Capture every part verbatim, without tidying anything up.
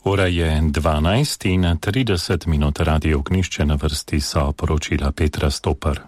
Ura je dvanajst in trideset minut, Radio Ognišče, na vrsti so poročila Petra Stopar.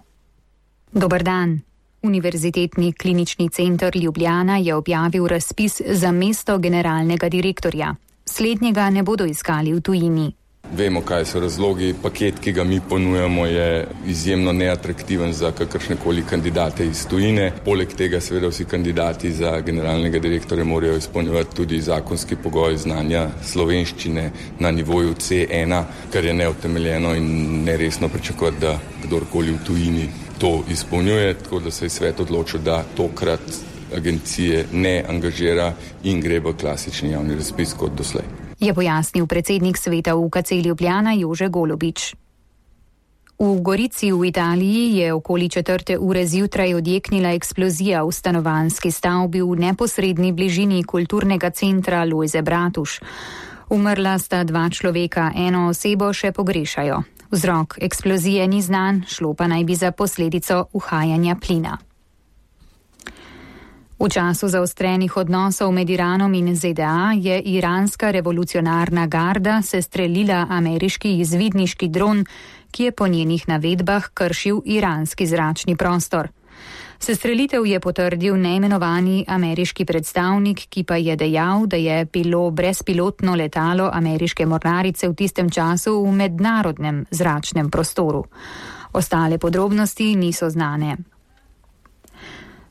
Dober dan. Univerzitetni klinični center Ljubljana je objavil razpis za mesto generalnega direktorja. Slednjega ne bodo iskali v tujini. Vemo, kaj so razlogi. Paket, ki ga mi ponujamo, je izjemno neatraktiven za kakršnekoli kandidate iz tujine. Poleg tega seveda vsi kandidati za generalnega direktorja morajo izpolnjevati tudi zakonski pogoj znanja slovenščine na nivoju C ena, kar je neutemeljeno in neresno pričakovati, da kdorkoli v tujini to izpolnjuje, tako da se je svet odločil, da tokrat agencije ne angažira in gre v klasični javni razpis kot doslej. Je pojasnil predsednik sveta U K C Ljubljana Jože Golobič. V Gorici v Italiji je okoli četrte ure zjutraj odjeknila eksplozija v stanovanjski stavbi v neposredni bližini kulturnega centra Lojze Bratuš. Umrla sta dva človeka, eno osebo še pogrešajo. Vzrok eksplozije ni znan, šlo pa naj bi za posledico uhajanja plina. V času zaostrenih odnosov med Iranom in Z D A je iranska revolucionarna garda sestrelila ameriški izvidniški dron, ki je po njenih navedbah kršil iranski zračni prostor. Sestrelitev je potrdil neimenovani ameriški predstavnik, ki pa je dejal, da je bilo brezpilotno letalo ameriške mornarice v tistem času v mednarodnem zračnem prostoru. Ostale podrobnosti niso znane.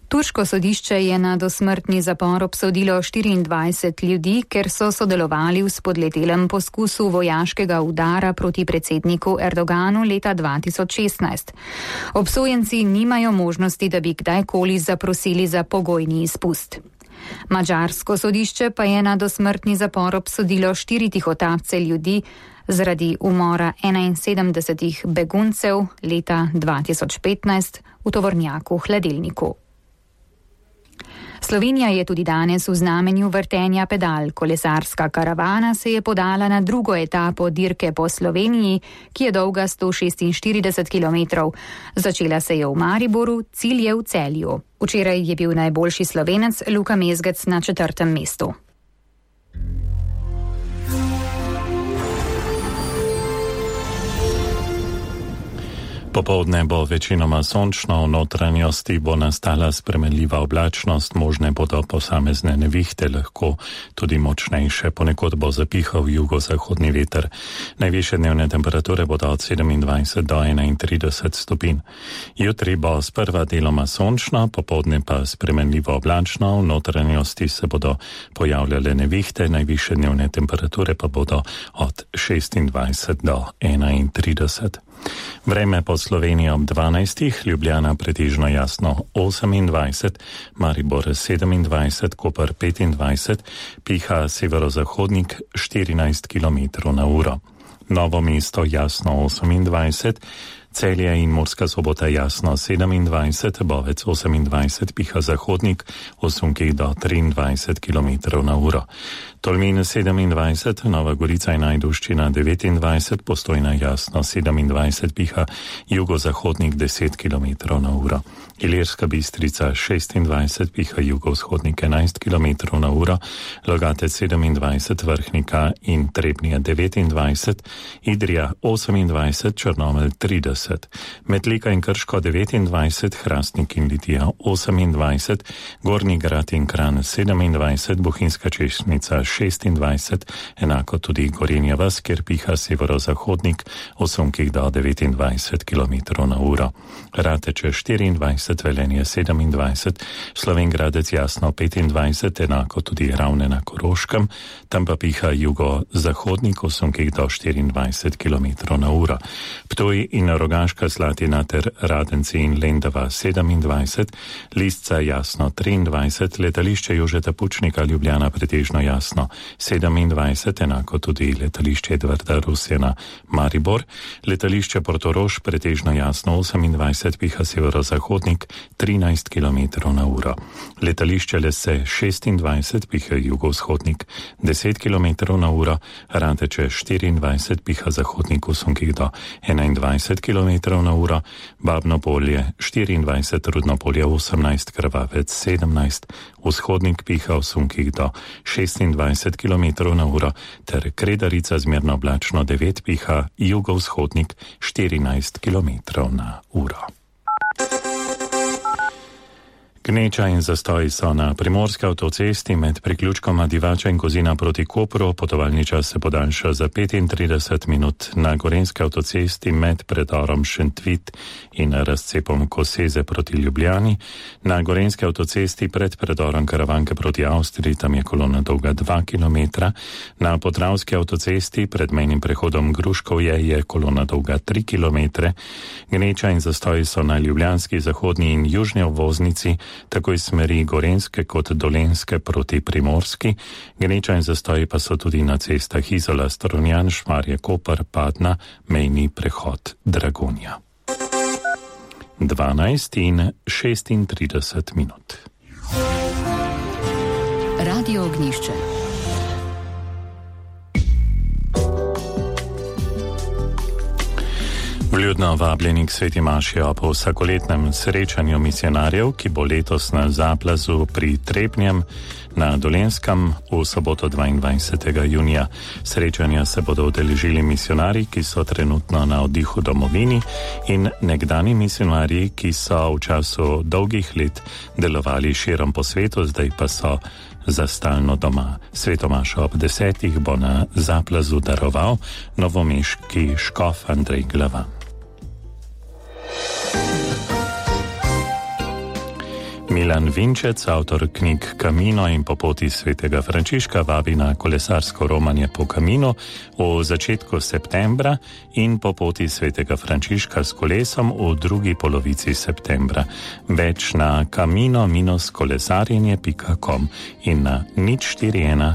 Turško sodišče je na dosmrtni zapor obsodilo štiriindvajset ljudi, ker so sodelovali v spodletelem poskusu vojaškega udara proti predsedniku Erdoganu leta dva tisoč šestnajst. Obsojenci nimajo možnosti, da bi kdajkoli zaprosili za pogojni izpust. Madžarsko sodišče pa je na dosmrtni zapor obsodilo štiri tihotapce ljudi zaradi umora enainsedemdesetih beguncev leta dva tisoč petnajst v tovornjaku Hladilniku. Slovenija je tudi danes v znamenju vrtenja pedal. Kolesarska karavana se je podala na drugo etapo dirke po Sloveniji, ki je dolga sto šestinštirideset kilometrov. Začela se je v Mariboru, cilj je v Celju. Včeraj je bil najboljši Slovenec Luka Mezgec na četrtem mestu. Popoldne bo večinoma sončno, v notranjosti bo nastala spremenljiva oblačnost, možne bodo posamezne nevihte, lahko tudi močnejše, ponekod bo zapihal jugozahodni veter. Najvišje dnevne temperature bodo od sedemindvajset do enaintrideset stopinj. Jutri bo sprva deloma sončno, popoldne pa spremenljivo oblačno, v notranjosti se bodo pojavljale nevihte, najvišje dnevne temperature pa bodo od šestindvajset do enaintrideset. Vreme po Sloveniji ob dvanajstih, Ljubljana pretežno jasno osemindvajset, Maribor sedemindvajset, Koper petindvajset, piha severozahodnik štirinajst kilometrov na uro. Novo mesto jasno osemindvajset, Celje in Murska Sobota jasno sedemindvajset, Bovec osemindvajset, piha zahodnik v sunkih do triindvajset kilometrov na uro. Tolmin sedemindvajset, Nova Gorica in Ajdovščina devetindvajset, Postojna jasno sedemindvajset, piha jugozahodnik deset kilometrov na uro. Ilirska Bistrica šestindvajset, piha jugovzhodnik enajst kilometrov na uro, Logatec sedemindvajset, Vrhnika in Trebnje devetindvajset, Idrija osemindvajset, Črnomelj trideset. Metlika in Krško devetindvajset, Hrastnik in Litija osemindvajset, Gornji Grad in Kranj sedemindvajset, Bohinjska Češnica šestindvajset, enako tudi Gorenja vas, kjer piha severozahodnik v sunkih do devetindvajset kilometrov na uro. Rateče štiriindvajset, Velenje sedemindvajset, Slovengradec jasno petindvajset, enako tudi Ravne na Koroškem, tam pa piha jugozahodnik v sunkih do štiriindvajset kilometrov na uro. Ptuj in Rogaška Slatina ter Radenci in Lendava sedemindvajset, Lisca jasno triindvajset, letališče Jožeta Pučnika Ljubljana pretežno jasno sedemindvajset, enako tudi letališče Edvarda Rusjana Maribor, letališče Portorož pretežno jasno osemindvajset, piha severozahodnik trinajst kilometrov na uro. Letališče Lese šestindvajset, piha jugovzhodnik deset kilometrov na uro, Radeče štiriindvajset, piha zahodnik v sunkih do enaindvajset kilometrov kilometrov na uro, Babno Polje štiriindvajset, Rudno Polje osemnajst, Krvavec sedemnajst, Vzhodnik piha v sunkih do šestindvajset kilometrov na uro, ter Kredarica zmerno oblačno devet, piha jugovzhodnik štirinajst kilometrov na uro. Gneča in zastoji so na primorski avtocesti med priključkoma Divača in Kozina proti Kopru. Potovalni čas se podaljša za petintrideset minut. Na gorenski avtocesti med predorom Šentvit in razcepom Koseze proti Ljubljani. Na gorenski avtocesti pred predorom Karavanke proti Avstriji, tam je kolona dolga dva kilometra. Na podravski avtocesti pred mejnim prehodom Gruškovje je kolona dolga tri kilometre. Gneča in zastoji so na ljubljanski, zahodni in južni obvoznici, tako iz smeri Gorenske kot Dolenske proti Primorski. Gneča in zastoji pa so tudi na cestah Izola, Strunjan, Šmarje, Koper, Padna, mejni prehod Dragonja. dvanajst in šestintrideset minut. Radio Ognjišče. Vljudno vabljeni k sveti maši ob vsakoletnem srečanju misionarjev, ki bo letos na Zaplazu pri Trebnjem na Dolenskem v soboto dvaindvajsetega junija. Srečanja se bodo udeležili misionarji, ki so trenutno na oddihu v domovini, in nekdani misionarji, ki so v času dolgih let delovali širom po svetu, zdaj pa so za stalno doma. Svetomašo ob desetih bo na Zaplazu daroval novomeški škof Andrej Glavan. Milan Vinčec, avtor knjig Camino in Po poti svetega Frančiška, vabi na kolesarsko romanje po Caminu v začetku septembra in Po poti svetega Frančiška s kolesom v drugi polovici septembra. Več na camino kolesarjenje pika com in na nič štiri ena